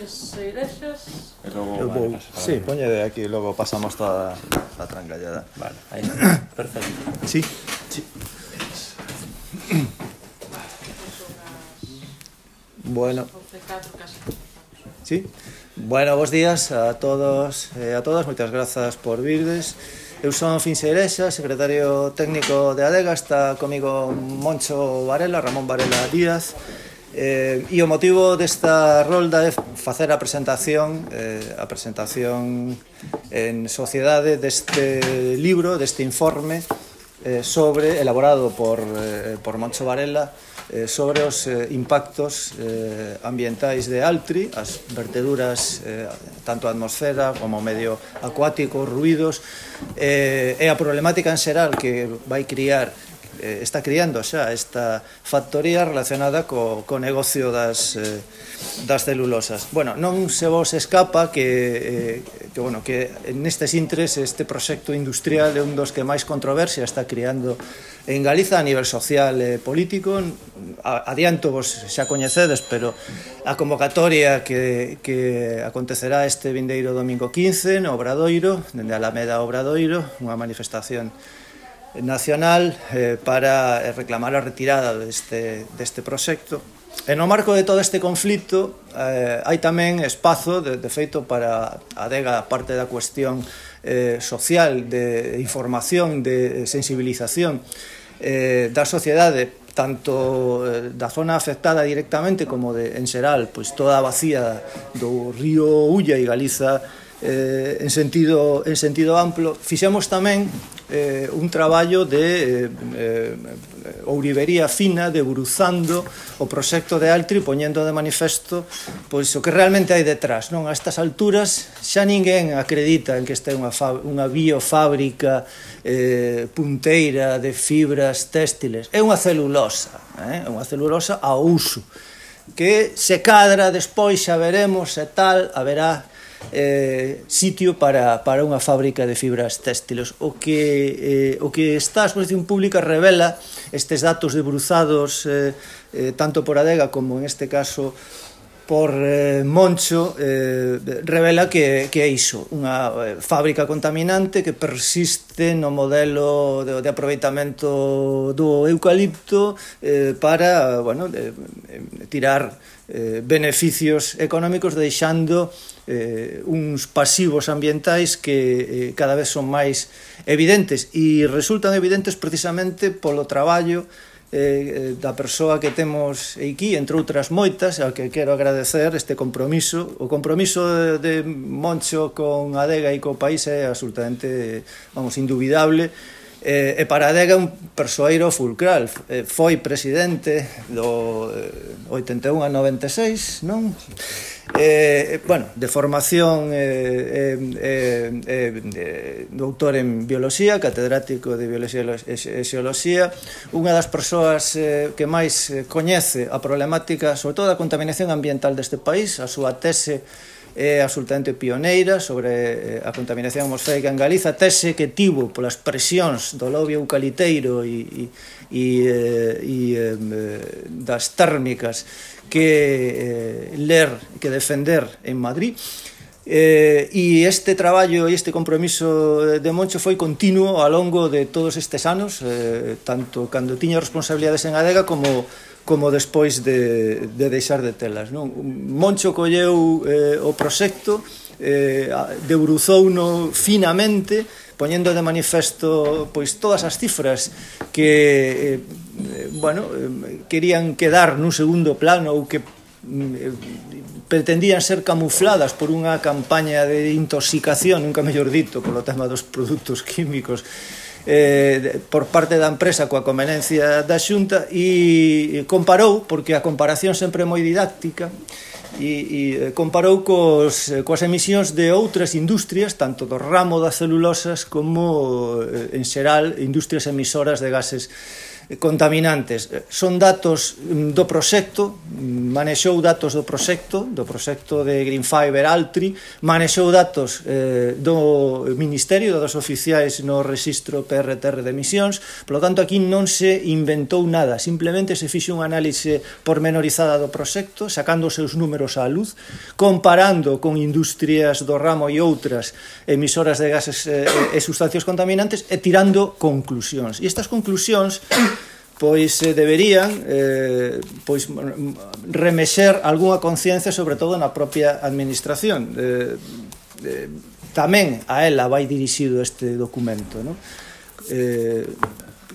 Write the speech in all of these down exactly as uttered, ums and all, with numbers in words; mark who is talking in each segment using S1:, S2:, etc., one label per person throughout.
S1: Seixas.
S2: E logo,
S3: Eu vou,
S2: vale, pasa,
S3: sí,
S2: vale.
S3: poñe de aquí, logo pasamos toda a trancallada.
S2: Vale, aí está. Perfecto.
S3: Sí.
S2: Sí.
S3: Bueno. Sí. Bueno, bos días a todos e a todas, moitas grazas por virdes. Eu son Fin Seirexa, secretario técnico de ADEGA, está comigo Moncho Varela, Ramón Varela Díaz. Eh, e o motivo desta rolda é facer a presentación eh, a presentación en sociedade deste libro, deste informe eh, sobre, elaborado por, eh, por Moncho Varela, eh, sobre os eh, impactos eh, ambientais de Altri, as verteduras eh, tanto a atmosfera como o medio acuático, ruídos eh, e a problemática en xeral que vai criar está criando xa esta factoría relacionada co, co negocio das, eh, das celulosas. Bueno, non se vos escapa que, eh, que, bueno, que nestes intres este proxecto industrial é un dos que máis controversia está criando en Galiza a nivel social e político. Adianto vos xa coñecedes, pero a convocatoria que, que acontecerá este vindeiro domingo quince no Obradoiro, dende Alameda Obradoiro, unha manifestación nacional eh, para reclamar a retirada deste, deste proxecto. E no marco de todo este conflito eh, hai tamén espazo, de, de feito, para a ADEGA, parte da cuestión eh, social, de información, de sensibilización eh, da sociedade, tanto eh, da zona afectada directamente como de, en xeral, pois toda a vacía do río Ulla e Galiza eh, en sentido, en sentido amplo. Fixemos tamén Eh, un traballo de eh, eh, ourivería fina, debruzando o proxecto de Altri, poñendo de manifesto pois o que realmente hai detrás, non? A estas alturas xa ninguén acredita en que este é unha, unha biofábrica eh, punteira de fibras téxtiles, é unha celulosa, eh? unha celulosa ao uso, que se cadra despois, xa veremos e tal, haberá Eh, sitio para, para unha fábrica de fibras téxtiles. O que, eh, o que está a exposición pública revela estes datos debruzados eh, eh, tanto por ADEGA como en este caso por eh, Moncho, eh, revela que, que é iso, unha eh, fábrica contaminante que persiste no modelo de, de aproveitamento do eucalipto eh, para, bueno, de, de tirar eh, beneficios económicos, deixando eh, uns pasivos ambientais que eh, cada vez son máis evidentes, e resultan evidentes precisamente polo traballo eh, da persoa que temos aquí, entre outras moitas, ao que quero agradecer este compromiso. O compromiso de, de Moncho con ADEGA e co país é absolutamente, vamos, indubidable. Eh, e para ADEGA un persoeiro fulcral, eh, foi presidente do eh, oitenta e un a noventa e seis, non? Eh, bueno, de formación eh, eh, eh, eh, doutor en bioloxía, catedrático de bioloxía e xeoloxía, unha das persoas eh, que máis coñece a problemática, sobre todo a contaminación ambiental deste país. A súa tese é absolutamente pioneira sobre a contaminación atmosférica en Galiza, tese que tivo polas presións do lobby eucaliteiro e, e, e, e das térmicas que eh, ler, que defender en Madrid. Eh, e este traballo e este compromiso de Moncho foi continuo ao longo de todos estes anos, eh, tanto cando tiña responsabilidades en ADEGA como como despois de, de deixar de telas, non? Moncho colleu eh, o proxecto, eh, debruzouno finamente, poñendo de manifesto pois todas as cifras que eh, bueno, eh, querían quedar nun segundo plano ou que eh, pretendían ser camufladas por unha campaña de intoxicación, nunca mellor dito, polo tema dos produtos químicos, Eh, por parte da empresa coa conveniencia da Xunta, e comparou, porque a comparación sempre é moi didáctica, e, e comparou cos, coas emisións de outras industrias, tanto do ramo das celulosas como, en xeral, industrias emisoras de gases contaminantes. Son datos do proxecto, manexou datos do proxecto, do proxecto de Green Fiber Altri, manexou datos eh, do Ministerio, dos oficiais no registro P R T R de emisións, polo tanto aquí non se inventou nada, simplemente se fixe unha análise pormenorizada do proxecto, sacando os seus números á luz, comparando con industrias do ramo e outras emisoras de gases eh, e sustancias contaminantes e tirando conclusións. E estas conclusións pois eh, deberían eh, pois remexer algunha conciencia, sobre todo na propia administración. Eh, eh, tamén a ela vai dirixido este documento, non? Eh,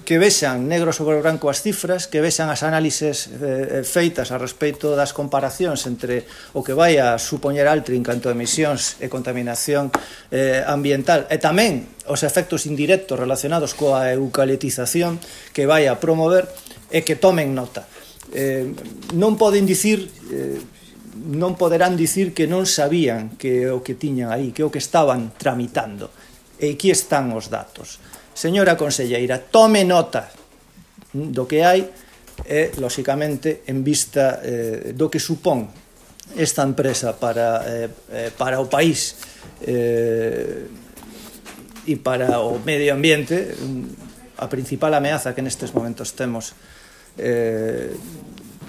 S3: que vexan negro sobre branco as cifras, que vexan as análises eh, feitas a respecto das comparacións entre o que vai a supoñer Altri en canto a emisións e contaminación eh, ambiental, e tamén os efectos indirectos relacionados coa eucaliptización que vai a promover, e que tomen nota. Eh, non poden dicir... Eh, non poderán dicir que non sabían que o que tiñan aí, que o que estaban tramitando, e aquí están os datos. Señora conselleira, tome nota do que hai e, lóxicamente, en vista eh, do que supón esta empresa para, eh, para o país eh, e para o medio ambiente, a principal ameaza que nestes momentos temos eh,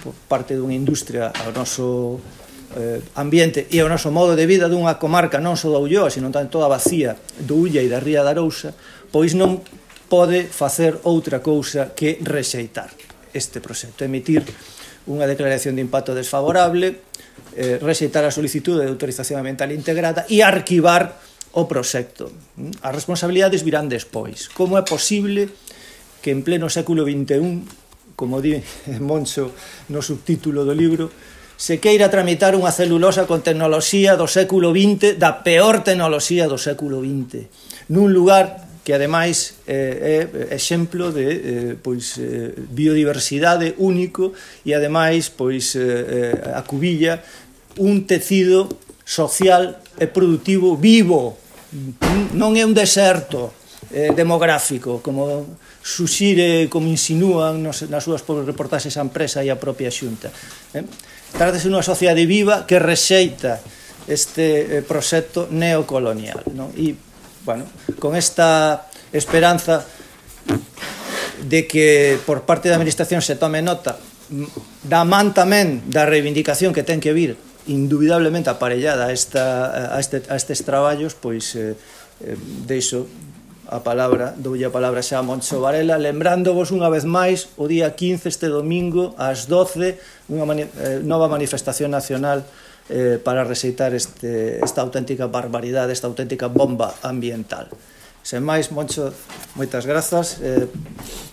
S3: por parte dunha industria ao noso eh, ambiente e ao noso modo de vida dunha comarca non só da Ulloa, sino tamén toda vacía do Ulla e da Ría de Arousa, pois non pode facer outra cousa que rexeitar este proxecto, emitir unha declaración de impacto desfavorable, eh, rexeitar a solicitude de autorización ambiental integrada e arquivar o proxecto. As responsabilidades virán despois. Como é posible que en pleno século vinte e un, como di Moncho no subtítulo do libro, se queira tramitar unha celulosa con tecnoloxía do século vinte, da peor tecnoloxía do século vinte, nun lugar que ademais eh, é exemplo de eh, pois, eh, biodiversidade único e ademais pois, eh, acubilla un tecido social e productivo vivo, non é un deserto eh, demográfico, como suxire, como insinúan nos, nas súas reportaxes a empresa e a propia Xunta. Eh? Trátase unha sociedade viva que rexeita este eh, proxecto neocolonial, non? E bueno, con esta esperanza de que por parte da administración se tome nota da man tamén da reivindicación que ten que vir indubidablemente aparellada a, esta, a, este, a estes traballos, pois eh, eh, deixo a palabra, doulle a palabra xa a Moncho Varela, lembrándovos unha vez máis o día quince, este domingo, ás doce, unha mani eh, nova manifestación nacional Eh, para rexeitar este, esta auténtica barbaridade, esta auténtica bomba ambiental. Sen máis, Moncho, moitas grazas eh,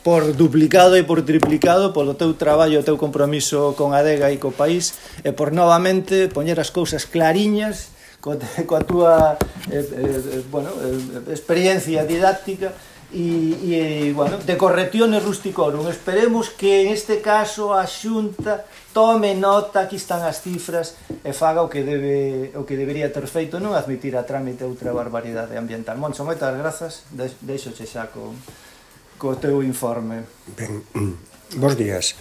S3: por duplicado e por triplicado polo teu traballo, o teu compromiso con Adega e co país, e por novamente poñer as cousas clariñas co, coa túa eh, eh, bueno, eh, experiencia didáctica e, e bueno, de correcciones rusticorum. Esperemos que en este caso a Xunta tome nota, aquí están as cifras, e faga o que debe o que debería ter feito, non admitir a trámite outra barbaridade ambiental. Moncho, moitas grazas, deixoche xa co, co teu informe.
S1: Ben, bos días.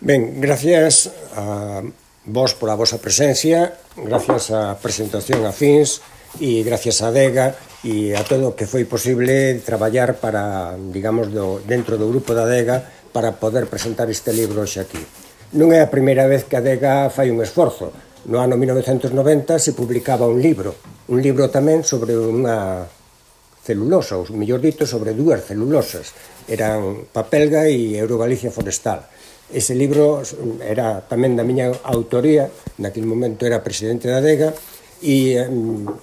S1: Ben, gracias a vos por a vosa presencia, gracias á presentación a Fins e gracias a Adega e a todo o que foi posible traballar para, digamos, do, dentro do grupo da Adega para poder presentar este libro hoxe aquí. Non é a primeira vez que a Adega fai un esforzo. No ano mil novecentos noventa se publicaba un libro, un libro tamén sobre unha celulosa, ou mellor dito, sobre dúas celulosas. Eran Papelga e Eurogalicia Forestal. Ese libro era tamén da miña autoría, naquele momento era presidente da Adega, e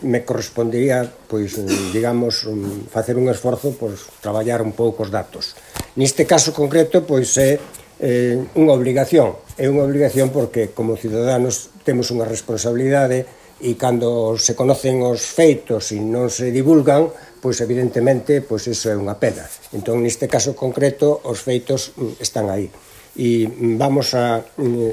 S1: me correspondería, pois, digamos, facer un esforzo, pois, traballar un pouco os datos. Neste caso concreto, pois, é eh, unha obligación. É unha obligación porque, como ciudadanos, temos unha responsabilidade e cando se conocen os feitos e non se divulgan, pois, evidentemente, pois, iso é unha pena. Entón, neste caso concreto, os feitos están aí. E vamos a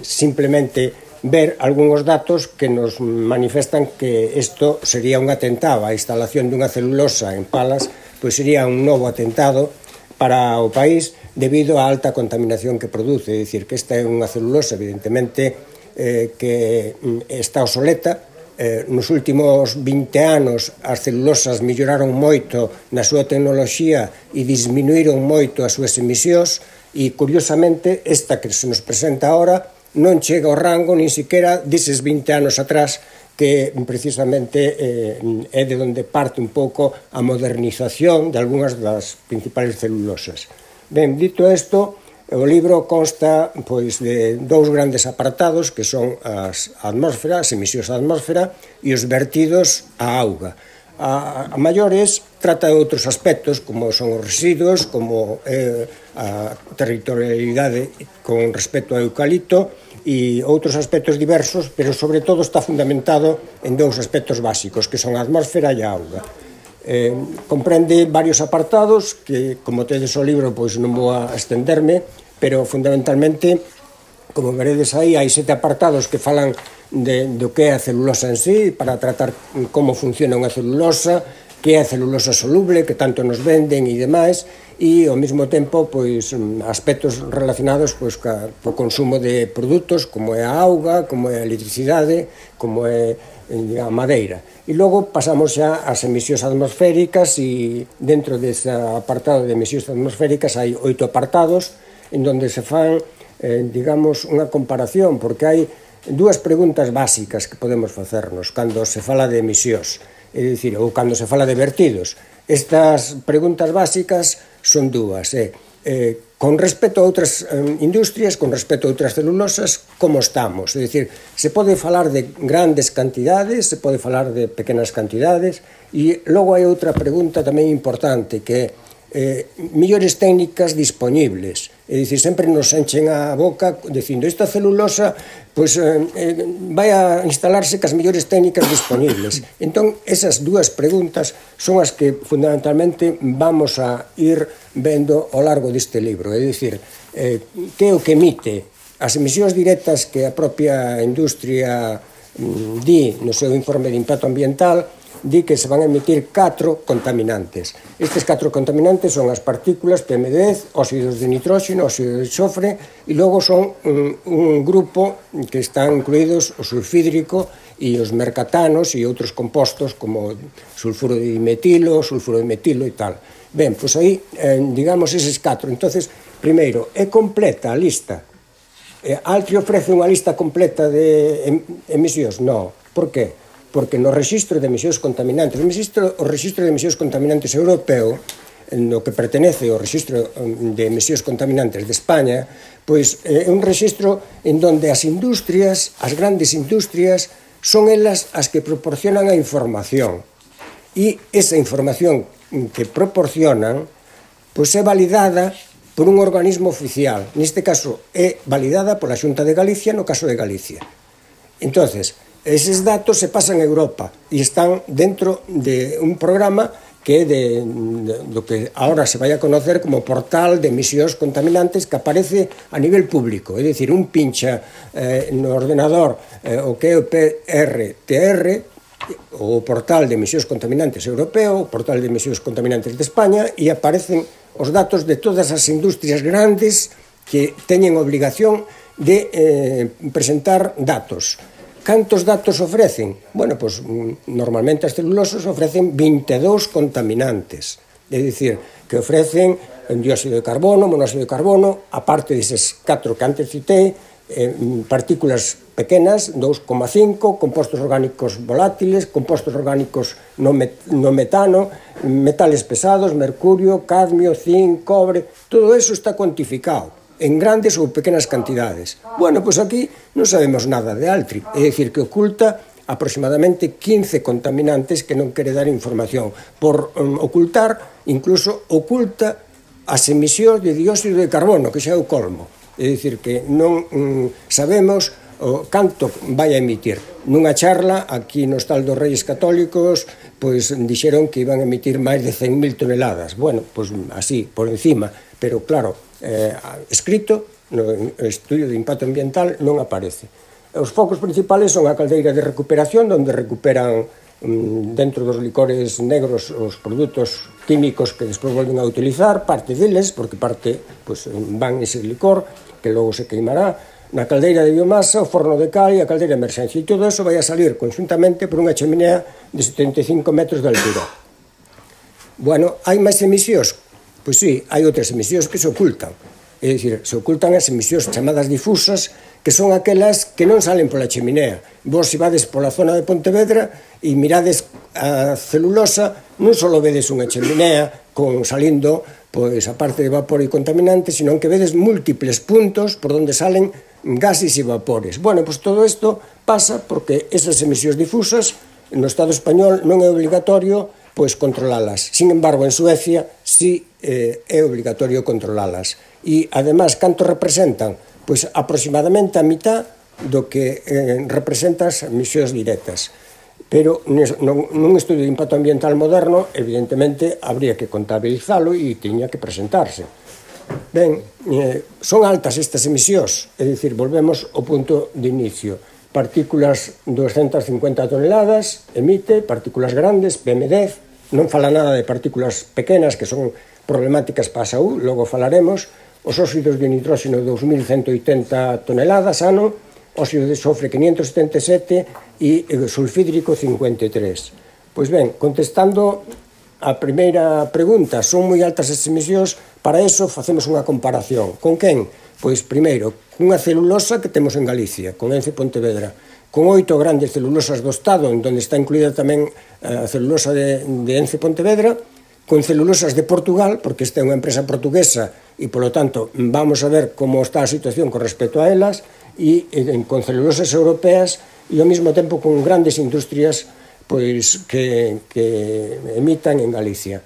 S1: simplemente ver algúns datos que nos manifestan que isto sería un atentado. A instalación dunha celulosa en Palas pois sería un novo atentado para o país, debido á alta contaminación que produce. É dicir, que esta é unha celulosa, evidentemente, eh, que está obsoleta. Eh, nos últimos vinte anos as celulosas melloraron moito na súa tecnoloxía e disminuíron moito as súas emisións, e curiosamente esta que se nos presenta ahora non chega ao rango nin siquiera deses vinte anos atrás, que precisamente eh, é de onde parte un pouco a modernización de algunhas das principales celulosas. Ben, dito isto, o libro consta pois de dous grandes apartados, que son as atmósfera, as emisións á atmósfera e os vertidos á auga. A, a maiores trata de outros aspectos, como son os residuos, como eh, a territorialidade con respecto ao eucalipto e outros aspectos diversos, pero sobre todo está fundamentado en dous aspectos básicos, que son a atmósfera e a auga. Eh, comprende varios apartados que, como tedes o libro, pois non vou a estenderme, pero fundamentalmente, como veredes aí, hai sete apartados que falan de, do que é a celulosa en sí, para tratar como funciona unha celulosa, que é a celulosa soluble, que tanto nos venden e demais, e ao mesmo tempo pois aspectos relacionados pois co consumo de produtos como é a auga, como é a electricidade, como é a madeira. E logo pasamos xa ás emisións atmosféricas, e dentro dese apartado de emisións atmosféricas hai oito apartados en donde se fan, eh, digamos, unha comparación, porque hai dúas preguntas básicas que podemos facernos cando se fala de emisións, é dicir, ou cando se fala de vertidos. Estas preguntas básicas son dúas, é, eh, con respecto a outras eh, industrias, con respecto a outras celulosas, como estamos? É dicir, se pode falar de grandes cantidades, se pode falar de pequenas cantidades, e logo hai outra pregunta tamén importante, que é eh, millores técnicas disponibles. É dicir, sempre nos enchen a boca dicindo esta celulosa pois, eh, eh, vai a instalarse cas millores técnicas disponibles. Entón, esas dúas preguntas son as que fundamentalmente vamos a ir vendo ao largo deste libro. É dicir, eh, que é o que emite as emisións directas que a propia industria mm, di no seu informe de impacto ambiental, di que se van a emitir catro contaminantes. Estes catro contaminantes son as partículas P M dez, óxidos de nitróxeno, óxido de xofre, e logo son un, un grupo que están incluídos o sulfídrico e os mercatanos e outros compostos como sulfuro de dimetilo, sulfuro de metilo e tal. Ben, pois aí, eh, digamos, eses catro. Entonces, primeiro, é completa a lista. Eh, Altri ofrece unha lista completa de em, emisións? Non. Por qué? Porque no rexistro de emisións contaminantes, o rexistro, o rexistro de emisións contaminantes europeo, no que pertenece ao rexistro de emisións contaminantes de España, pois é un rexistro en donde as industrias, as grandes industrias, son elas as que proporcionan a información. E esa información que proporcionan, pois é validada por un organismo oficial. Neste caso, é validada pola Xunta de Galicia, no caso de Galicia. Entonces, eses datos se pasan a Europa e están dentro de un programa que é de, de, do que ahora se vai a conocer como portal de emisións contaminantes, que aparece a nivel público. É dicir, un pincha eh, no ordenador eh, o que é o P R T R, o portal de emisións contaminantes europeo, o portal de emisións contaminantes de España, e aparecen os datos de todas as industrias grandes que teñen obligación de eh, presentar datos. Cantos datos ofrecen? Bueno, pois normalmente as celulosas ofrecen vinte e dous contaminantes. É dicir, que ofrecen dióxido de carbono, monóxido de carbono, aparte deses catro que antes citei, eh, partículas pequenas, dous coma cinco, compostos orgánicos volátiles, compostos orgánicos no, met no metano, metales pesados, mercurio, cadmio, zinc, cobre, todo eso está cuantificado en grandes ou pequenas cantidades. Bueno, pois aquí non sabemos nada de Altri, é dicir, que oculta aproximadamente quince contaminantes que non quere dar información. Por um, ocultar, incluso oculta as emisións de dióxido de carbono, que xa é o colmo. É dicir, que non um, sabemos o canto vai a emitir. Nunha charla, aquí no Hostal dos Reyes Católicos, pois dixeron que iban a emitir máis de cen mil toneladas. Bueno, pois así, por encima, pero claro, eh, escrito no estudio de impacto ambiental non aparece. Os focos principales son a caldeira de recuperación, onde recuperan dentro dos licores negros os produtos químicos que despois volven a utilizar, parte deles, porque parte pues, van ese licor que logo se queimará, na caldeira de biomasa, o forno de cal e a caldeira de emerxencia, e todo eso vai a salir conjuntamente por unha cheminea de setenta e cinco metros de altura. Bueno, hai máis emisións? Pois sí, hai outras emisións que se ocultan, é dicir, se ocultan as emisións chamadas difusas, que son aquelas que non salen pola cheminea. Vos, se vades pola zona de Pontevedra e mirades a celulosa, non só vedes unha cheminea con salindo, pois, a parte de vapor e contaminante, sino que vedes múltiples puntos por onde salen gases e vapores. Bueno, pois todo isto pasa porque esas emisións difusas no Estado español non é obligatorio pois controlalas. Sin embargo, en Suecia sí eh, é obligatorio controlalas. E, además, canto representan? Pois aproximadamente a mitad do que eh, representa as emisións directas. Pero nun estudio de impacto ambiental moderno, evidentemente, habría que contabilizalo e tiña que presentarse. Ben, eh, son altas estas emisións, é dicir, volvemos ao punto de inicio. Partículas doscientas cincuenta toneladas emite, partículas grandes, P M dez, non fala nada de partículas pequenas que son problemáticas para a saúde, logo falaremos. Os óxidos de nitróxeno dos mil ciento oitenta toneladas ano, óxido de sofre quinientos setenta e sete e sulfídrico cincuenta e tres. Pois ben, contestando a primeira pregunta, son moi altas as emisións, para eso facemos unha comparación. Con quen? Pois primeiro, cunha celulosa que temos en Galicia, con Ence Pontevedra, con oito grandes celulosas do Estado, en donde está incluída tamén a celulosa de, de Ence Pontevedra, con celulosas de Portugal, porque esta é unha empresa portuguesa e, polo tanto, vamos a ver como está a situación con respecto a elas, e, e con celulosas europeas e, ao mesmo tempo, con grandes industrias pois, que, que emitan en Galicia.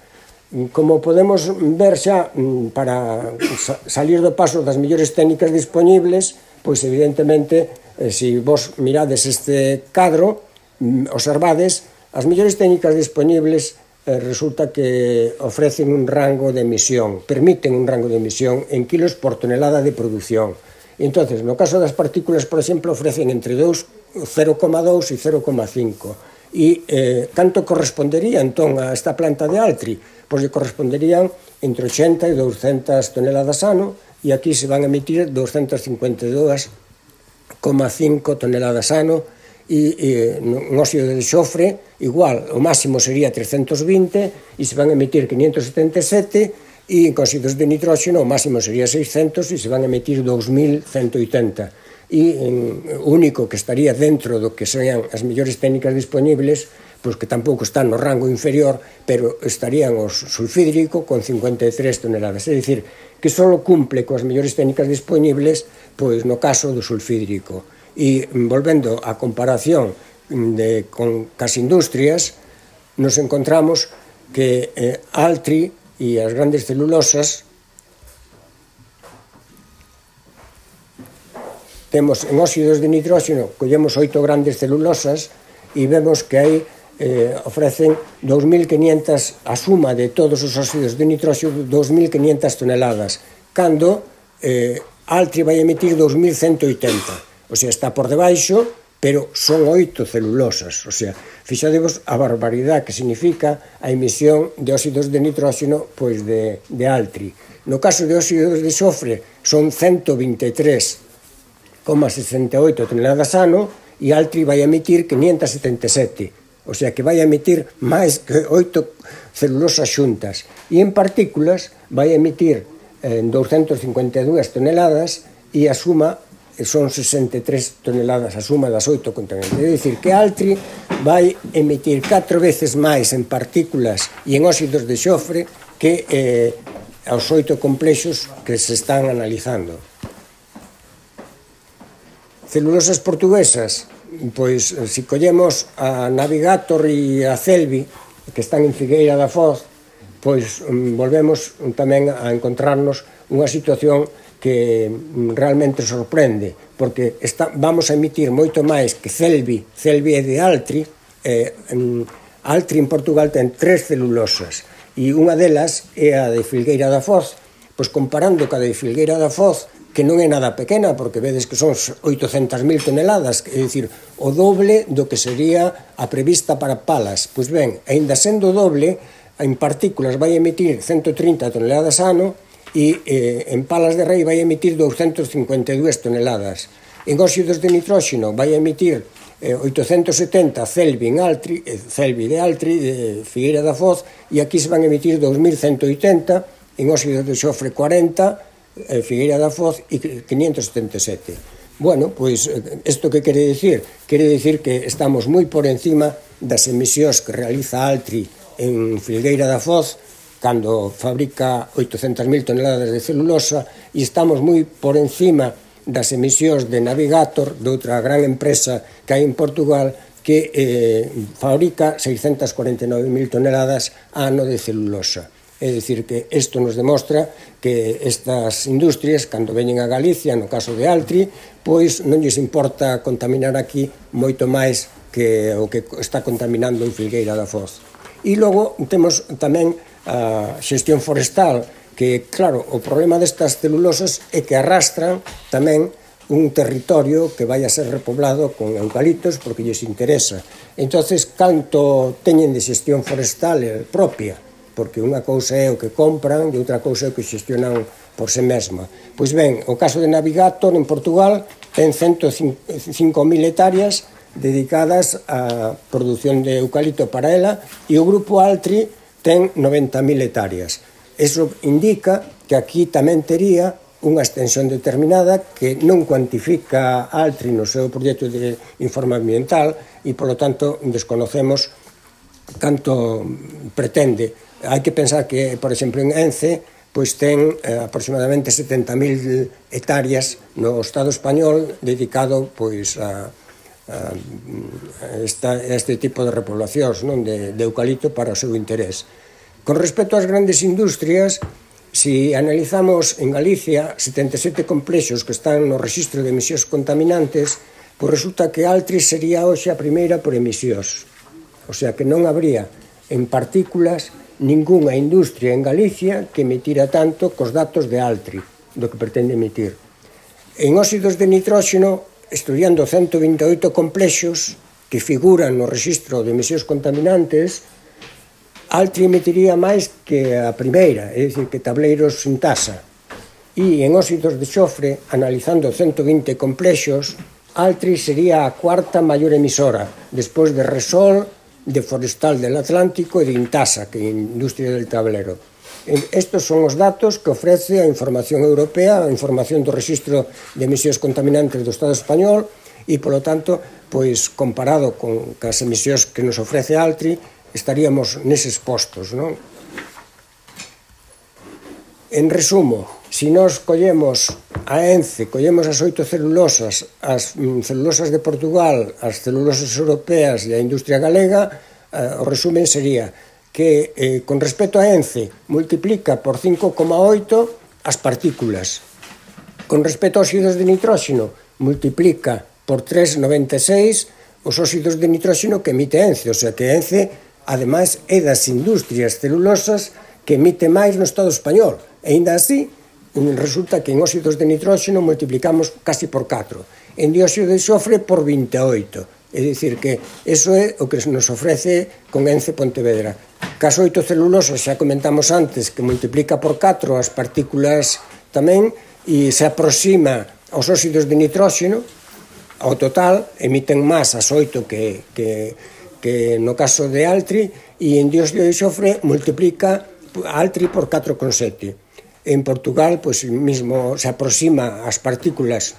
S1: Como podemos ver xa, para salir do paso das mellores técnicas disponibles, pois, evidentemente, eh, se vos mirades este cadro, observades, as mellores técnicas disponibles resulta que ofrecen un rango de emisión, permiten un rango de emisión en kilos por tonelada de produción. Entonces, no caso das partículas, por exemplo, ofrecen entre cero coma dous e cero coma cinco. E eh, canto correspondería, entón, a esta planta de Altri? Pois lle corresponderían entre ochenta e doscientas toneladas ano, e aquí se van a emitir doscientas cincuenta e dous coma cinco toneladas ano, e, e un óxido de xofre igual, o máximo sería trescentos vinte e se van a emitir quinientos setenta e sete e en óxidos de nitróxeno o máximo sería seiscentos e se van a emitir dous mil ciento oitenta e o único que estaría dentro do que sean as mellores técnicas disponibles, pois que tampouco están no rango inferior, pero estarían os sulfídrico con cincuenta e tres toneladas, é dicir, que só cumple coas mellores técnicas disponibles pois no caso do sulfídrico. E volvendo á comparación de, con as industrias, nos encontramos que eh, Altri e as grandes celulosas temos en óxidos de nitróxeno, collemos oito grandes celulosas e vemos que aí eh, ofrecen dous mil quinientas, a suma de todos os óxidos de nitróxeno, dous mil quinientas toneladas, cando eh, Altri vai emitir dous mil ciento oitenta. O sea, está por debaixo, pero son oito celulosas. O sea, fixadevos a barbaridade que significa a emisión de óxidos de nitróxeno pois de, de Altri. No caso de óxidos de xofre son ciento vinte e tres coma sesenta e oito toneladas ano e Altri vai emitir quinientos setenta e sete. O sea, que vai emitir máis que oito celulosas xuntas. E en partículas vai emitir eh, doscientas cincuenta e dúas toneladas e a suma son sesenta e tres toneladas, a suma das oito contaminantes. É dicir, que Altri vai emitir catro veces máis en partículas e en óxidos de xofre que eh, aos oito complexos que se están analizando. Celulosas portuguesas, pois, se collemos a Navigator e a Celvi, que están en Figueira da Foz, pois volvemos tamén a encontrarnos unha situación que realmente sorprende, porque está, vamos a emitir moito máis que Celvi, Celvi é de Altri, eh, Altri en Portugal ten tres celulosas, e unha delas é a de Filgueira da Foz, pois comparando ca de Filgueira da Foz, que non é nada pequena, porque vedes que son oitocentas mil toneladas, é dicir, o doble do que sería a prevista para palas. Pois ben, aínda sendo doble, en partículas vai emitir ciento trinta toneladas ano e eh, en palas de rei vai emitir doscientas cincuenta e dúas toneladas. En óxidos de nitróxeno vai emitir eh, oitocentos setenta Celbi, en Altri, eh, Celbi de Altri, de Figueira da Foz, e aquí se van emitir dos mil ciento oitenta, en óxidos de xofre cuarenta, eh, Figueira da Foz, e quinientos setenta e sete. Bueno, pois, isto que quere dicir? Quere dicir que estamos moi por encima das emisións que realiza Altri en Filgueira da Foz, cando fabrica oitocentas mil toneladas de celulosa, e estamos moi por encima das emisións de Navigator, de outra gran empresa que hai en Portugal, que eh, fabrica seiscentas cuarenta e nove mil toneladas ano de celulosa. É dicir, que isto nos demostra que estas industrias, cando veñen a Galicia, no caso de Altri, pois non lles importa contaminar aquí moito máis que o que está contaminando en Filgueira da Foz. E logo temos tamén a xestión forestal, que, claro, o problema destas celulosas é que arrastran tamén un territorio que vai a ser repoblado con eucaliptos porque lles interesa. Entonces, canto teñen de xestión forestal propia, porque unha cousa é o que compran e outra cousa é o que xestionan por si mesma. Pois ben, o caso de Navigator en Portugal ten cento cinco mil hectáreas dedicadas á produción de eucalipto para ela, e o grupo Altri ten noventa mil hectáreas. Eso indica que aquí tamén tería unha extensión determinada que non cuantifica Altri no seu proxecto de informe ambiental e, polo tanto, desconocemos canto pretende. Hai que pensar que, por exemplo, en Ence, pois ten eh, aproximadamente setenta mil hectáreas no Estado español dedicado pois a, a, a, esta, a este tipo de repoblacións, non, de, de eucalipto para o seu interés. Con respecto ás grandes industrias, si analizamos en Galicia setenta e sete complexos que están no rexistro de emisións contaminantes, pois resulta que Altri sería hoxe a primeira por emisións. O sea que non habría en partículas ningunha industria en Galicia que emitira tanto cos datos de Altri, do que pretende emitir. En óxidos de nitróxeno, estudiando ciento vinte e oito complexos que figuran no rexistro de emisións contaminantes, Altri emitiría máis que a primeira, é dicir, que tableiros sin tasa. E en óxidos de xofre, analizando ciento vinte complexos, Altri sería a cuarta maior emisora, despois de Resol, de Forestal del Atlántico e de Intasa, que é a industria del tablero. Estos son os datos que ofrece a información europea, a información do rexistro de emisións contaminantes do Estado español, e, polo tanto, pois, comparado con as emisións que nos ofrece Altri, estaríamos neses postos, non? En resumo, se nós collemos a Ence, collemos as oito celulosas, as celulosas de Portugal, as celulosas europeas e a industria galega, eh, o resumen sería que, eh, con respecto a Ence, multiplica por cinco coma oito as partículas. Con respecto aos óxidos de nitróxeno, multiplica por tres coma noventa e seis os óxidos de nitróxeno que emite Ence, o sea que Ence, ademais, é das industrias celulosas que emite máis no Estado español. E ainda así, resulta que en óxidos de nitróxeno multiplicamos casi por catro, en dióxido de xofre por vinte e oito. É dicir, que eso é o que nos ofrece con Ence Pontevedra. Cas oito celulosas, xa comentamos antes, que multiplica por catro as partículas tamén, e se aproxima aos óxidos de nitróxeno, ao total, emiten máis as oito que... que que no caso de Altri, e en dióxido de xofre multiplica Altri por catro coma sete. En Portugal, pois, mismo se aproxima as partículas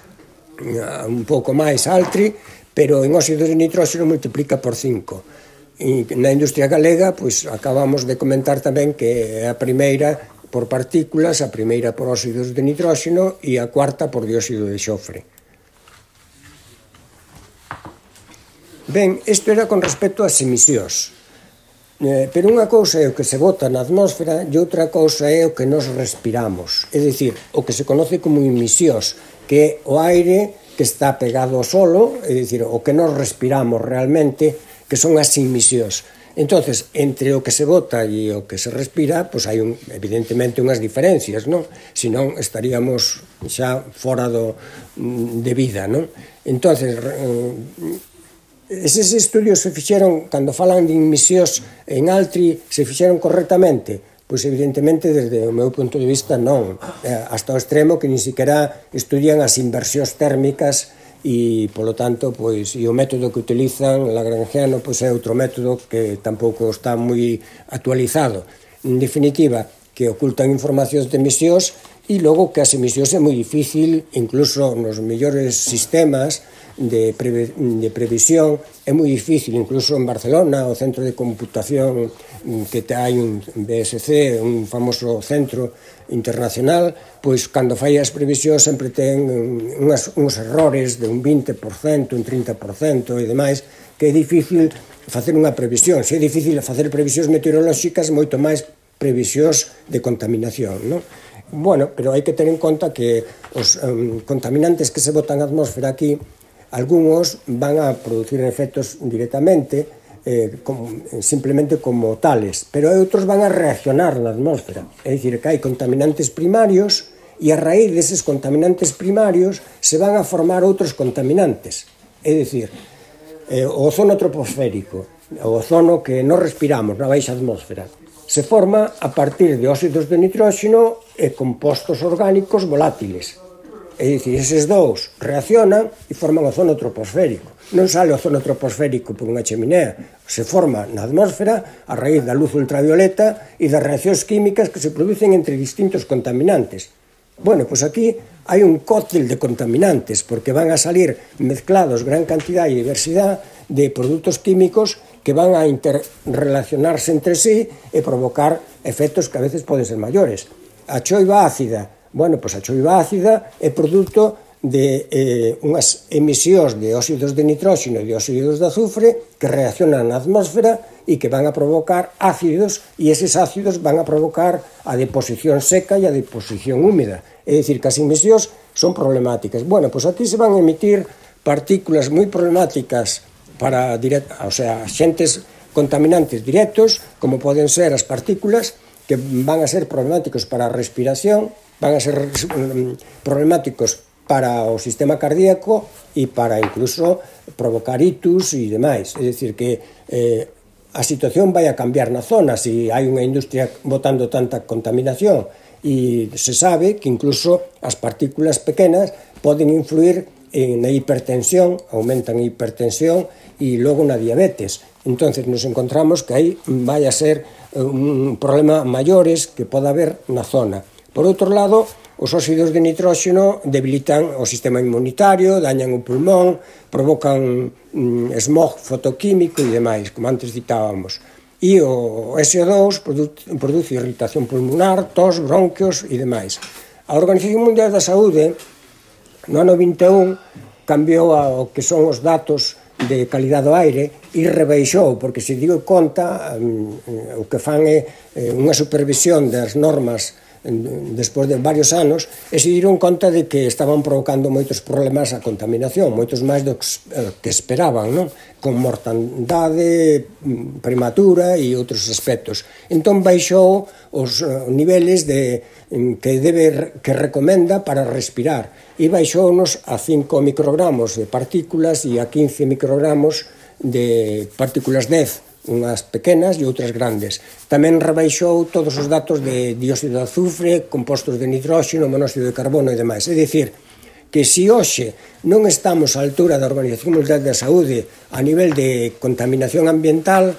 S1: un pouco máis Altri, pero en óxidos de nitróxeno multiplica por cinco. E na industria galega, pois, acabamos de comentar tamén que é a primeira por partículas, a primeira por óxidos de nitróxeno e a cuarta por dióxido de xofre. Ben, isto era con respecto ás emisións. Eh, pero unha cousa é o que se bota na atmósfera e outra cousa é o que nos respiramos. É dicir, o que se conoce como emisións, que é o aire que está pegado ao solo, é dicir, o que nos respiramos realmente, que son as emisións. Entonces, entre o que se bota e o que se respira, pois hai un, evidentemente unhas diferencias, non? Senón estaríamos xa fora do, de vida, non? Entonces, eses estudios se fixeron, cando falan de emisións en Altri, se fixeron correctamente? Pois evidentemente, desde o meu punto de vista, non. Hasta o extremo que nin siquiera estudian as inversións térmicas e, polo tanto, pois, e o método que utilizan Lagrangiano, pois é outro método que tampouco está moi actualizado. En definitiva, que ocultan informacións de emisións e logo que as emisións é moi difícil, incluso nos mellores sistemas de, preve, de previsión, é moi difícil, incluso en Barcelona, o centro de computación que hai un B S C, un famoso centro internacional, pois cando fai as previsións sempre ten unhas, uns errores de un vinte por cento, un trinta por cento e demais, que é difícil facer unha previsión. Se é difícil facer previsións meteorolóxicas, moito máis previsións de contaminación, non? Bueno, pero hai que ter en conta que os um, contaminantes que se botan á atmósfera aquí, algúns van a producir efectos directamente, eh, como, simplemente como tales, pero outros van a reaccionar na atmósfera. É dicir, que hai contaminantes primarios e a raíz deses contaminantes primarios se van a formar outros contaminantes. É dicir, eh, o ozono troposférico, o ozono que non respiramos na baixa atmósfera, se forma a partir de óxidos de nitróxeno e compostos orgánicos volátiles. É dicir, eses dous reaccionan e forman o ozono troposférico. Non sale o ozono troposférico por unha cheminea, se forma na atmósfera a raíz da luz ultravioleta e das reaccións químicas que se producen entre distintos contaminantes. Bueno, pois aquí hai un cóctel de contaminantes, porque van a salir mezclados gran cantidad e diversidade de produtos químicos que van a interrelacionarse entre sí e provocar efectos que a veces poden ser maiores. A choiva ácida, bueno, pois a choiva ácida é produto de eh, unhas emisións de óxidos de nitróxeno e de óxidos de azufre que reaccionan na atmósfera e que van a provocar ácidos, e eses ácidos van a provocar a deposición seca e a deposición húmeda. É dicir, que as emisións son problemáticas. Bueno, pois aquí se van a emitir partículas moi problemáticas para, o sea, xentes contaminantes directos, como poden ser as partículas, que van a ser problemáticos para a respiración, van a ser problemáticos para o sistema cardíaco e para incluso provocar ictus e demais. É dicir, que eh, a situación vai a cambiar na zona se hai unha industria botando tanta contaminación, e se sabe que incluso as partículas pequenas poden influir na hipertensión, aumentan a hipertensión e logo na diabetes. Entonces nos encontramos que aí vai a ser un problema maiores que pode haber na zona. Por outro lado, os óxidos de nitróxeno debilitan o sistema inmunitario, dañan o pulmón, provocan mm, smog fotoquímico e demais, como antes citábamos. E o S O dous produce, produce irritación pulmonar, tos, bronquios e demais. A Organización Mundial da Saúde, no ano vinte e un, cambiou ao que son os datos de calidade do aire e rebaixou, porque se digo conta, o que fan é unha supervisión das normas despois de varios anos, e se dieron conta de que estaban provocando moitos problemas a contaminación, moitos máis do que esperaban, non? Con mortandade prematura e outros aspectos. Entón baixou os niveles de, que debe que recomenda para respirar, e baixounos a cinco microgramos de partículas e a quince microgramos de partículas dez, unhas pequenas e outras grandes. Tamén rebaixou todos os datos de dióxido de azufre, compostos de nitróxeno, monóxido de carbono e demais. É dicir, que se hoxe non estamos á altura da Organización Mundial da Saúde a nivel de contaminación ambiental,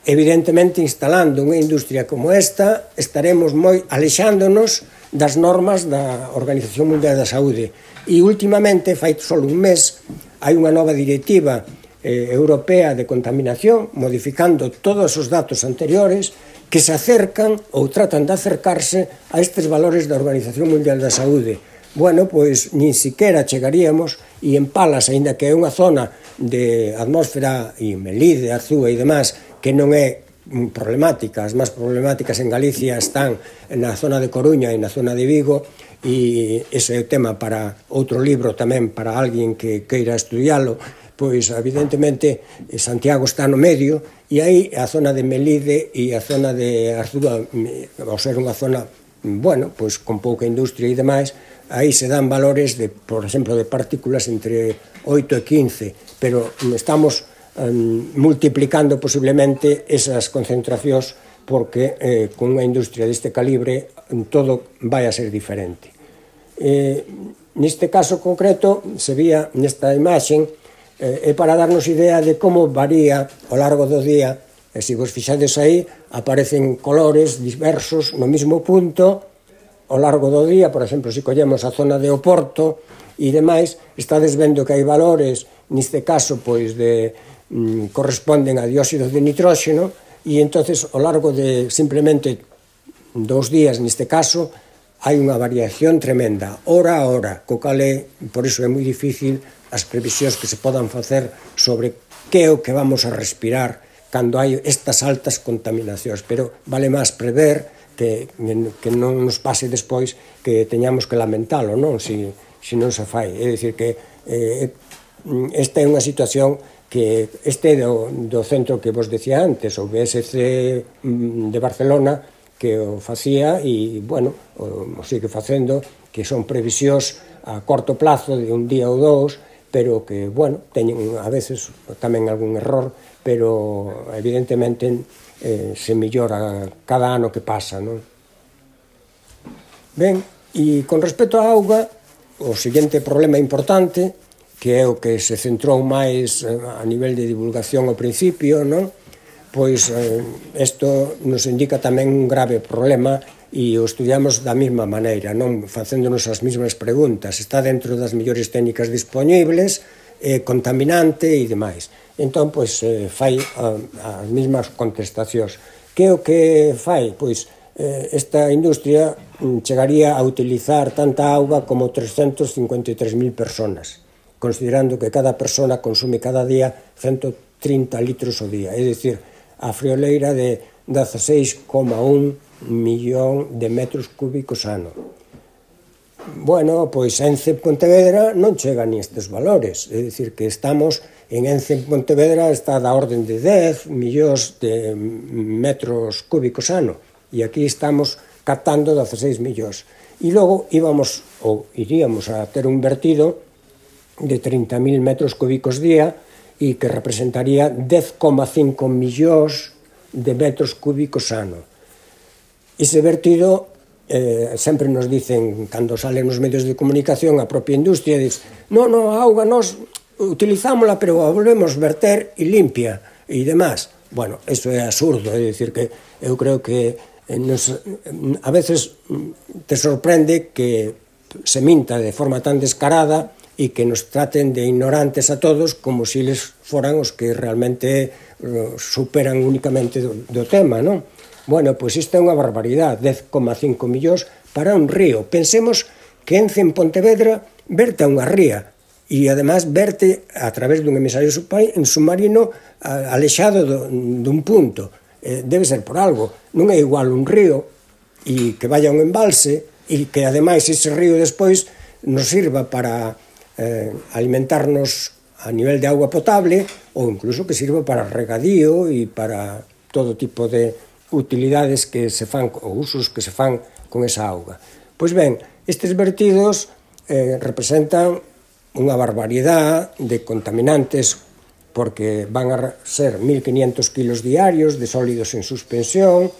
S1: evidentemente instalando unha industria como esta, estaremos moi alexándonos das normas da Organización Mundial da Saúde. E últimamente, fai só un mes, hai unha nova directiva Eh, europea de contaminación, modificando todos os datos anteriores que se acercan ou tratan de acercarse a estes valores da Organización Mundial da Saúde. Bueno, pois nin siquiera chegaríamos, e en Palas, aínda que é unha zona de atmósfera e Melide, Arzúa e demás, que non é problemáticas. As máis problemáticas en Galicia están na zona de Coruña e na zona de Vigo, e ese é o tema para outro libro tamén para alguén que queira estudialo. Pois evidentemente Santiago está no medio, e aí a zona de Melide e a zona de Arzúa, ao ser unha zona, bueno, pois con pouca industria e demais, aí se dan valores de, por exemplo, de partículas entre oito e quince, pero estamos um, multiplicando posiblemente esas concentracións, porque eh, con unha industria deste calibre todo vai a ser diferente. Eh, neste caso concreto, se vía nesta imaxen, eh, é para darnos idea de como varía ao largo do día, e se vos fixades aí, aparecen colores diversos no mesmo punto ao largo do día. Por exemplo, se collemos a zona de Oporto e demais, estades vendo que hai valores, neste caso, pois, de mm, corresponden a dióxido de nitróxeno, e entonces ao largo de simplemente dous días, neste caso, hai unha variación tremenda, hora a hora, co cal é, por iso é moi difícil as previsións que se podan facer sobre que é o que vamos a respirar cando hai estas altas contaminacións, pero vale máis prever que, que non nos pase despois que teñamos que lamentalo, non? Si, si non se fai. É dicir que eh, esta é unha situación que este do, do centro que vos decía antes, o B S C de Barcelona, que o facía e, bueno, o, o sigue facendo, que son previsións a corto plazo de un día ou dous, pero que, bueno, teñen a veces tamén algún error, pero evidentemente eh, se mellora cada ano que pasa, non? Ben, e con respecto á auga, o seguinte problema importante, que é o que se centrou máis a nivel de divulgación ao principio, non? Pois isto eh, nos indica tamén un grave problema e o estudiamos da mesma maneira, non facéndonos as mesmas preguntas. Está dentro das mellores técnicas disponibles, eh, contaminante e demais. Entón, pois, eh, fai a, as mesmas contestacións. Que o que fai? Pois, eh, esta industria chegaría a utilizar tanta auga como trescentos cincuenta e tres mil personas, considerando que cada persona consume cada día ciento trinta litros ao día, é dicir, a frioleira de dezasseis coma un millón de metros cúbicos ano. Bueno, pois Ence en Pontevedra non chega ni estes valores, é dicir, que estamos en Ence en Pontevedra está da orden de dez millóns de metros cúbicos ano, e aquí estamos captando dezasseis millóns. E logo íbamos, ou iríamos a ter un vertido de trinta mil metros cúbicos día, e que representaría dez coma cinco millóns de metros cúbicos ano. Ese vertido, eh, sempre nos dicen, cando salen nos medios de comunicación, a propia industria, dice, non, non, a auga nos utilizámola, pero a volvemos verter e limpia, e demás. Bueno, eso é absurdo, é dicir que eu creo que nos, a veces te sorprende que se minta de forma tan descarada e que nos traten de ignorantes a todos como se eles foran os que realmente superan únicamente do, do tema, non? Bueno, pois isto é unha barbaridade, dez coma cinco millóns para un río. Pensemos que Ence en Pontevedra verte a unha ría e, además, verte a través dun emisario submarino alexado do, dun punto. Eh, debe ser por algo. Non é igual un río e que vaya un embalse e que, ademais, ese río despois nos sirva para eh, alimentarnos a nivel de agua potable ou incluso que sirva para regadío e para todo tipo de utilidades que se fan, ou usos que se fan con esa auga. Pois ben, estes vertidos eh, representan unha barbaridade de contaminantes porque van a ser mil quinientos kilos diarios de sólidos en suspensión,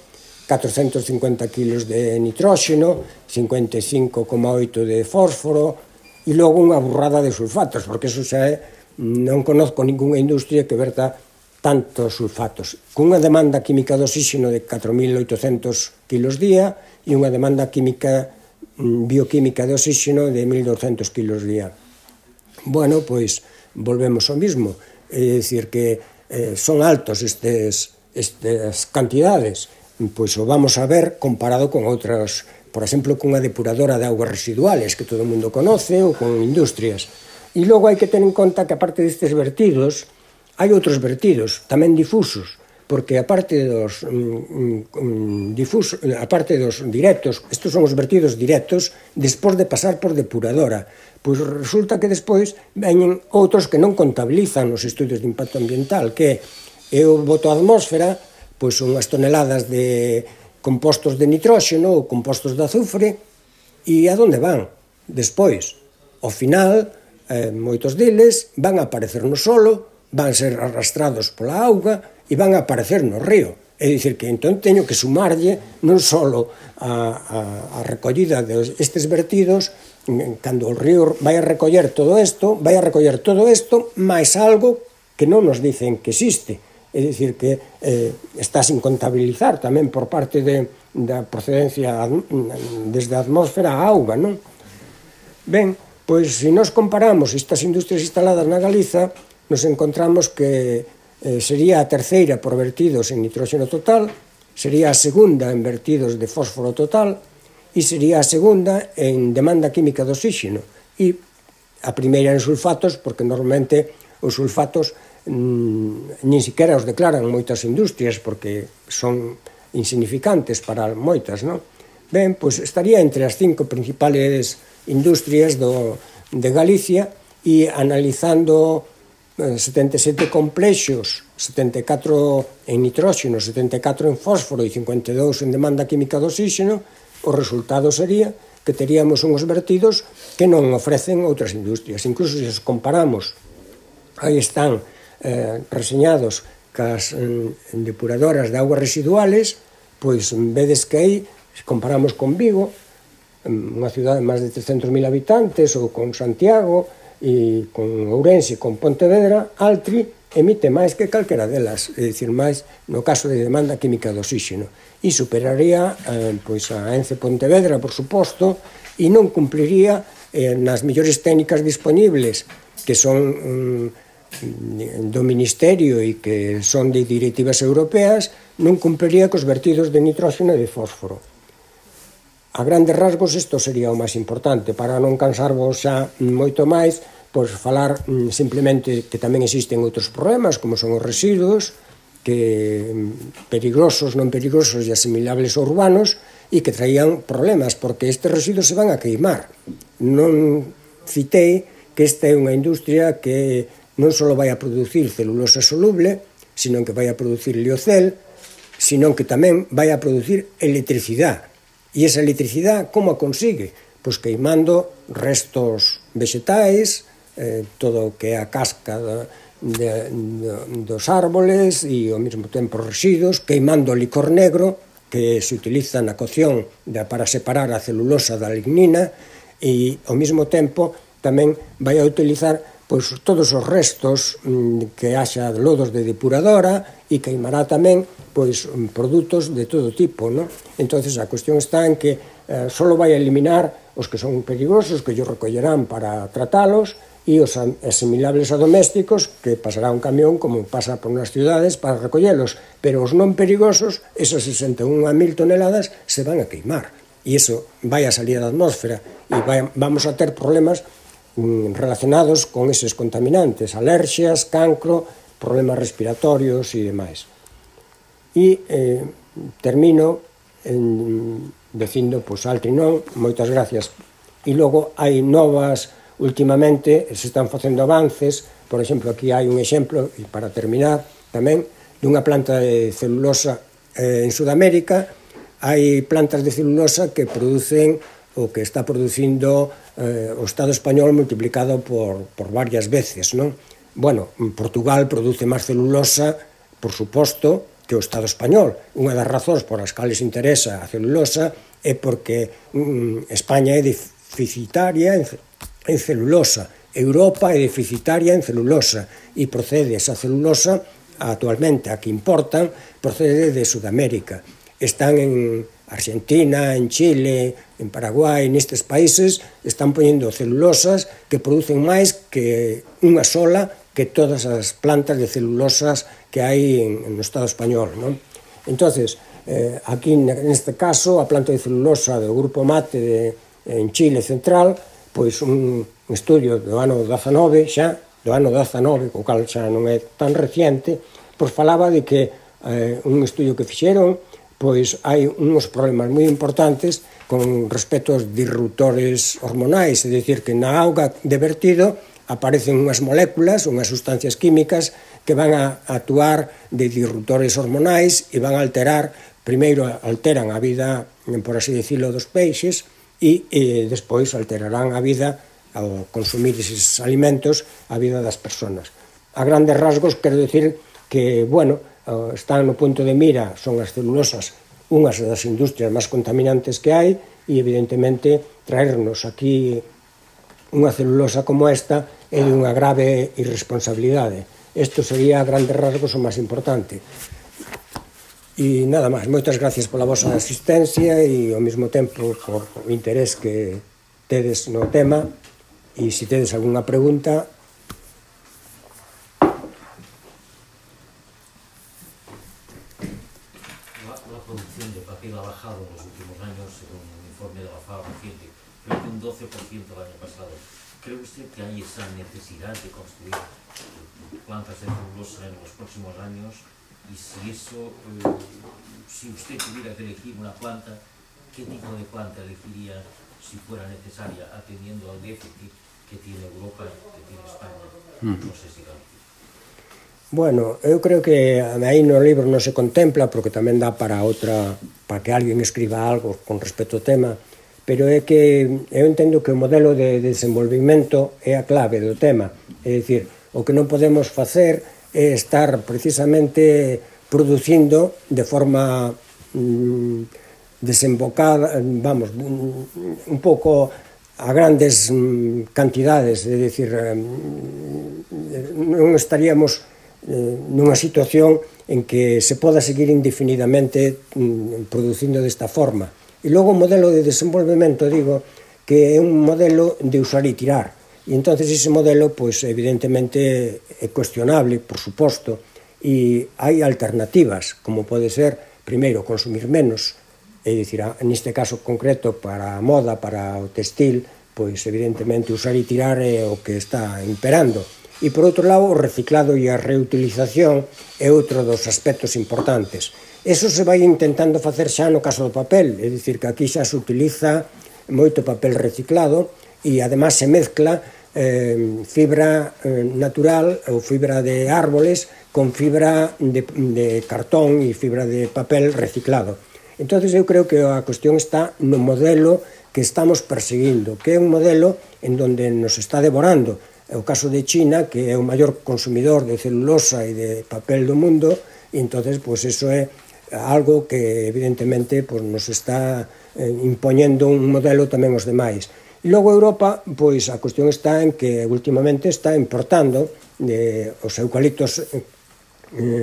S1: catrocentos cincuenta kilos de nitróxeno, cincuenta e cinco coma oito de fósforo e logo unha burrada de sulfatos, porque eso xa é, non conozco ninguna industria que verta tantos sulfatos, cunha demanda química de oxígeno de catro mil oitocentos kilos día e unha demanda química bioquímica de oxígeno de mil douscentos kilos día. Bueno, pois volvemos ao mismo, é dicir que eh, son altos estes, estas cantidades, pois o vamos a ver comparado con outras, por exemplo, cunha depuradora de augas residuales que todo o mundo conoce ou con industrias. E logo hai que ter en conta que aparte destes vertidos hai outros vertidos, tamén difusos, porque a parte dos mm, difusos, a parte dos directos, estos son os vertidos directos despois de pasar por depuradora, pois resulta que despois veñen outros que non contabilizan nos estudios de impacto ambiental, que eu boto a atmósfera, pois son unhas toneladas de compostos de nitróxeno ou compostos de azufre, e a donde van? Despois, ao final, eh, moitos deles van a aparecer no solo, van ser arrastrados pola auga e van a aparecer no río. É dicir, que entón teño que sumarlle non só a, a, a recollida destes vertidos, cando o río vai a recoller todo isto, vai a recoller todo isto, máis algo que non nos dicen que existe. É dicir, que eh, está sin contabilizar tamén por parte de, da procedencia desde a atmósfera a auga, non? Ben, pois se nos comparamos estas industrias instaladas na Galiza, nos encontramos que eh, sería a terceira por vertidos en nitróxeno total, sería a segunda en vertidos de fósforo total e sería a segunda en demanda química de oxígeno e a primeira en sulfatos, porque normalmente os sulfatos mmm, nin siquiera os declaran moitas industrias porque son insignificantes para moitas, non? Ben, pois estaría entre as cinco principales industrias do, de Galicia e analizando setenta e sete complexos, setenta e catro en nitróxeno, setenta e catro en fósforo e cincuenta e dous en demanda química de oxígeno, o resultado sería que teríamos uns vertidos que non ofrecen outras industrias. Incluso se os comparamos, aí están eh, reseñados cas eh, depuradoras de aguas residuales, pois vedes que aí, se comparamos con Vigo, unha cidade de máis de trescentos mil habitantes, ou con Santiago, e con Ourense, con Pontevedra, Altri emite máis que calquera delas, é dicir, máis no caso de demanda química de oxígeno, e superaría eh, pois a Ence Pontevedra, por suposto, e non cumpliría eh, nas mellores técnicas disponibles, que son mm, do Ministerio e que son de directivas europeas, non cumpliría cos vertidos de nitróxeno e de fósforo. A grandes rasgos isto sería o máis importante, para non cansarvos xa moito máis, pois falar simplemente que tamén existen outros problemas, como son os residuos, que peligrosos, non peligrosos e asimilables a urbanos, e que traían problemas, porque estes residuos se van a queimar. Non citei que esta é unha industria que non só vai a producir celulosa soluble, sino que vai a producir liocel, sino que tamén vai a producir electricidade. E esa electricidade, como a consigue? Pois queimando restos vegetais, eh, todo o que é a casca de, de, de, dos árboles e ao mesmo tempo residuos, queimando licor negro que se utiliza na cocción de, para separar a celulosa da lignina e ao mesmo tempo tamén vai a utilizar pois, todos os restos mm, que haxa lodos de depuradora e queimará tamén pois, produtos de todo tipo, non? Entonces a cuestión está en que eh, só vai a eliminar os que son perigosos, que ellos recollerán para tratalos, e os asimilables a domésticos, que pasará un camión como pasa por nas ciudades para recollelos, pero os non perigosos, esas sesenta e un mil toneladas, se van a queimar. E iso vai a salir da atmósfera e vai, vamos a ter problemas mm, relacionados con eses contaminantes, alerxias, cancro, problemas respiratorios e demais. E eh, termino en, dicindo, pois, altri non, moitas gracias. E logo hai novas, últimamente se están facendo avances, por exemplo, aquí hai un exemplo, e para terminar tamén, dunha planta de celulosa eh, en Sudamérica. Hai plantas de celulosa que producen o que está producindo eh, o Estado español multiplicado por, por varias veces, non? Bueno, Portugal produce máis celulosa, por suposto, que o Estado español. Unha das razóns por as cales interesa a celulosa é porque mm, España é deficitaria en, en celulosa, Europa é deficitaria en celulosa e procede esa celulosa actualmente a que importan, procede de Sudamérica. Están en Argentina, en Chile, en Paraguai, nestes países están poñendo celulosas que producen máis que unha sola que todas as plantas de celulosas que hai en, en o Estado español, non? Entonces, eh, aquí neste caso, a planta de celulosa do Grupo Mate de, en Chile Central, pois un estudio do ano dezanove, xa, do ano dezanove, co cal xa non é tan reciente, pois falaba de que eh, un estudio que fixeron, pois hai uns problemas moi importantes con respecto aos disruptores hormonais, é dicir, que na auga de vertido aparecen unhas moléculas, unhas sustancias químicas que van a actuar de disruptores hormonais e van a alterar, primeiro alteran a vida, por así decirlo, dos peixes e, e despois alterarán a vida, ao consumir eses alimentos, a vida das persoas. A grandes rasgos, quero dicir que, bueno, están no punto de mira, son as celulosas, unhas das industrias máis contaminantes que hai, e evidentemente traernos aquí unha celulosa como esta é de unha grave irresponsabilidade. Isto sería a grandes rasgos o máis importante. E nada máis, moitas gracias pola vosa asistencia e ao mesmo tempo por o interés que tedes no tema, e se tedes algunha pregunta.
S2: La producción de papel ha bajado en los últimos años, según un informe de la FAO reciente, creo que un doce por ciento el año pasado. ¿Cree usted que hay esa necesidad de construir plantas de celulosa en los próximos años? Y si eso, eh, si usted tuviera que elegir una planta, ¿qué tipo de planta elegiría si fuera necesaria, atendiendo al déficit que tiene Europa, que tiene España? No sé si Galicia.
S1: Bueno, eu creo que aí no libro non se contempla, porque tamén dá para outra, para que alguén escriba algo con respecto ao tema, pero é que eu entendo que o modelo de desenvolvimento é a clave do tema. É dicir, o que non podemos facer é estar precisamente producindo de forma mm, desembocada, vamos, un pouco a grandes mm, cantidades, é dicir, mm, non estaríamos eh, nunha situación en que se poda seguir indefinidamente mm, producindo desta forma. E logo o modelo de desenvolvemento, digo, que é un modelo de usar e tirar. E entonces ese modelo, pois, evidentemente é cuestionable, por suposto, e hai alternativas, como pode ser, primeiro, consumir menos, é dicir, neste caso concreto, para a moda, para o textil, pois, evidentemente, usar e tirar é o que está imperando. E, por outro lado, o reciclado e a reutilización é outro dos aspectos importantes. Eso se vai intentando facer xa no caso do papel, é dicir, que aquí xa se utiliza moito papel reciclado e, además, se mezcla eh, fibra eh, natural ou fibra de árboles con fibra de, de cartón e fibra de papel reciclado. Entón, eu creo que a cuestión está no modelo que estamos perseguindo, que é un modelo en donde nos está devorando. É o caso de China, que é o maior consumidor de celulosa e de papel do mundo, e entonces, pois, eso é algo que evidentemente pues, nos está eh, impoñendo un modelo tamén os demais. E logo Europa, pois a cuestión está en que últimamente está importando eh, os eucaliptos, eh,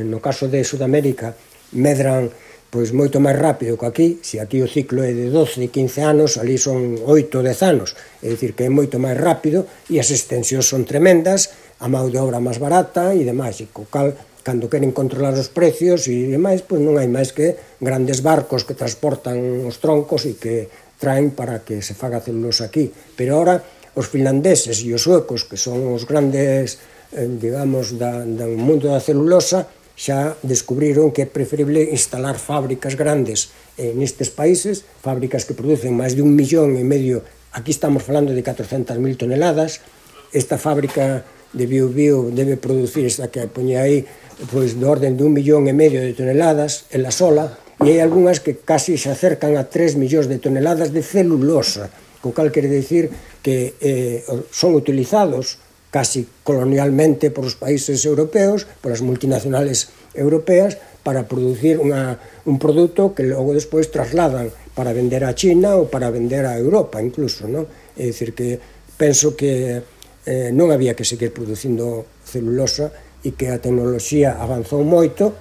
S1: no caso de Sudamérica, medran pois moito máis rápido que aquí. Se aquí o ciclo é de doce, quince anos, ali son oito, dez anos, é dicir que é moito máis rápido e as extensións son tremendas, a mão de obra máis barata e demais, e co cal cando queren controlar os precios e demais, pois non hai máis que grandes barcos que transportan os troncos e que traen para que se faga celulosa aquí. Pero ahora os finlandeses e os suecos, que son os grandes, eh, digamos, da, do mundo da celulosa, xa descubriron que é preferible instalar fábricas grandes eh, nestes países, fábricas que producen máis de un millón e medio, aquí estamos falando de catrocentas mil toneladas, esta fábrica de Biu Biu debe producir, esta que poñe aí, pois do orden de un millón e medio de toneladas, ela sola, e hai algunhas que casi se acercan a tres millóns de toneladas de celulosa, co cal quere dicir que eh, son utilizados casi colonialmente por os países europeos, por as multinacionales europeas, para producir unha, un produto que logo despois trasladan para vender a China ou para vender a Europa incluso, non? É dicir que penso que eh, non había que seguir producindo celulosa e que a tecnoloxía avanzou moito.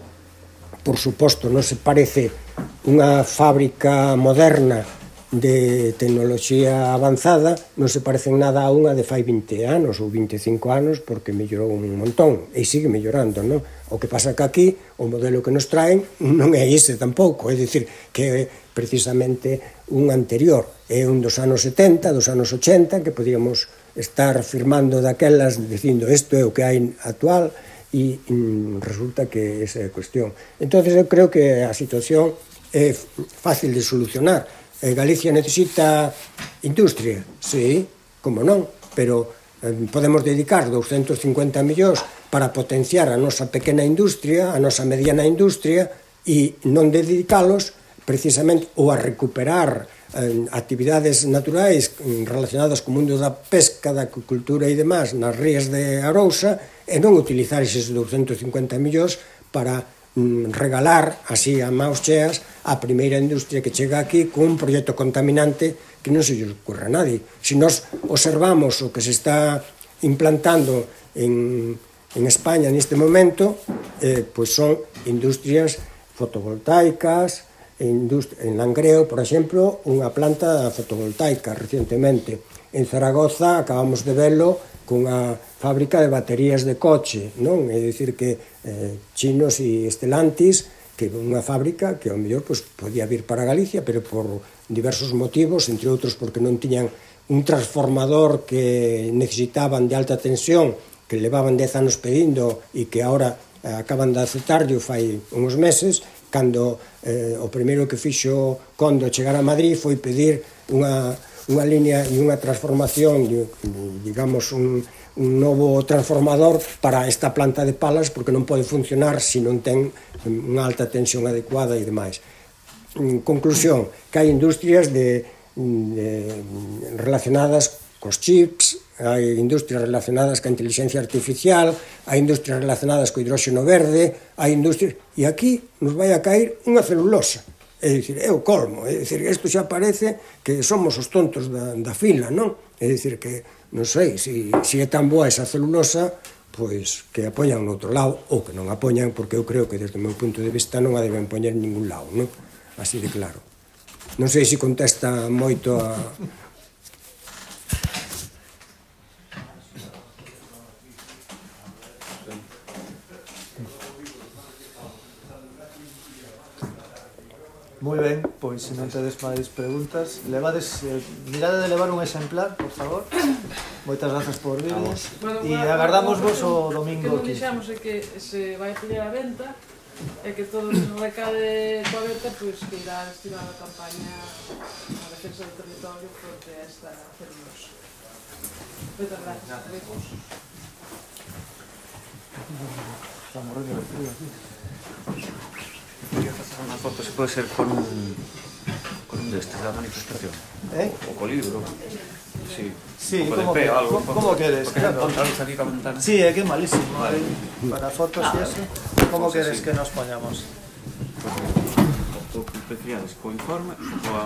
S1: Por suposto, non se parece unha fábrica moderna de tecnoloxía avanzada, non se parece en nada a unha de fai vinte anos ou vinte e cinco anos, porque mellorou un montón e sigue mellorando, non? O que pasa que aquí o modelo que nos traen non é ese tampouco, é dicir, que é precisamente un anterior, é un dos anos setenta, dos anos ochenta, que podíamos estar firmando daquelas dicindo isto é o que hai actual, e mm, resulta que esa é a cuestión. Entonces eu creo que a situación é fácil de solucionar. Eh, Galicia necesita industria, sí, como non, pero eh, podemos dedicar doscientos cincuenta millóns para potenciar a nosa pequena industria, a nosa mediana industria, e non dedicalos precisamente ou a recuperar eh, actividades naturais relacionadas co mundo da pesca, da acuicultura e demás nas rías de Arousa, e non utilizar eses doscientos cincuenta millóns para mm, regalar así a maus cheas a primeira industria que chega aquí con un proxecto contaminante que non se lle ocurra a nadie. Se nós observamos o que se está implantando en, en España neste momento, eh, pois son industrias fotovoltaicas, en Langreo, por exemplo, unha planta fotovoltaica recientemente. En Zaragoza acabamos de velo cunha fábrica de baterías de coche, non? É dicir que eh, Chinos e Stellantis, que é unha fábrica que ao mellor pues, podía vir para Galicia, pero por diversos motivos, entre outros porque non tiñan un transformador que necesitaban de alta tensión, que levaban dez anos pedindo e que agora eh, acaban de aceptarlo fai uns meses, cando eh, o primeiro que fixo Kondo chegar a Madrid foi pedir unha, unha línea e unha transformación, digamos, un, un novo transformador para esta planta de palas, porque non pode funcionar se non ten unha alta tensión adecuada e demais. En conclusión, que hai industrias de, de, relacionadas cos chips, hai industrias relacionadas ca inteligencia artificial, hai industrias relacionadas co hidróxeno verde, hai industrias... E aquí nos vai a caer unha celulosa. É dicir, é o colmo. É dicir, isto xa parece que somos os tontos da, da fila, non? É dicir, que non sei, se si, si é tan boa esa celulosa, pois que a poñan no outro lado, ou que non a poñan, porque eu creo que desde o meu punto de vista non a deben poñer en ningún lado, non? Así de claro. Non sei se contesta moito a...
S3: Moi ben, pois se non tedes máis preguntas, levades, eh, mirade de levar un exemplar, por favor. Moitas grazas por virdes e agardamos vos o domingo
S4: aquí. O que non dixamos é que se vai poñer a venta e que todo o recade coa venta pois que irá destinar a campaña a defensa do territorio porque esta celulosa. Moitas grazas.
S3: Está morrendo de frío aquí.
S5: Quería pasar una foto, se puede ser con un con un de estos, la manifestación.
S3: ¿Eh?
S5: O con libro. Sí.
S3: Sí,
S5: como
S3: que,
S5: algo,
S3: como queres, claro.
S5: Aquí con ventana.
S3: Sí, é que é malísimo. Vale. Para fotos
S5: ah,
S3: e eso. Como
S5: pues
S3: queres
S5: así.
S3: que nos poñamos?
S5: Pues, o que prefieras, co informe ou a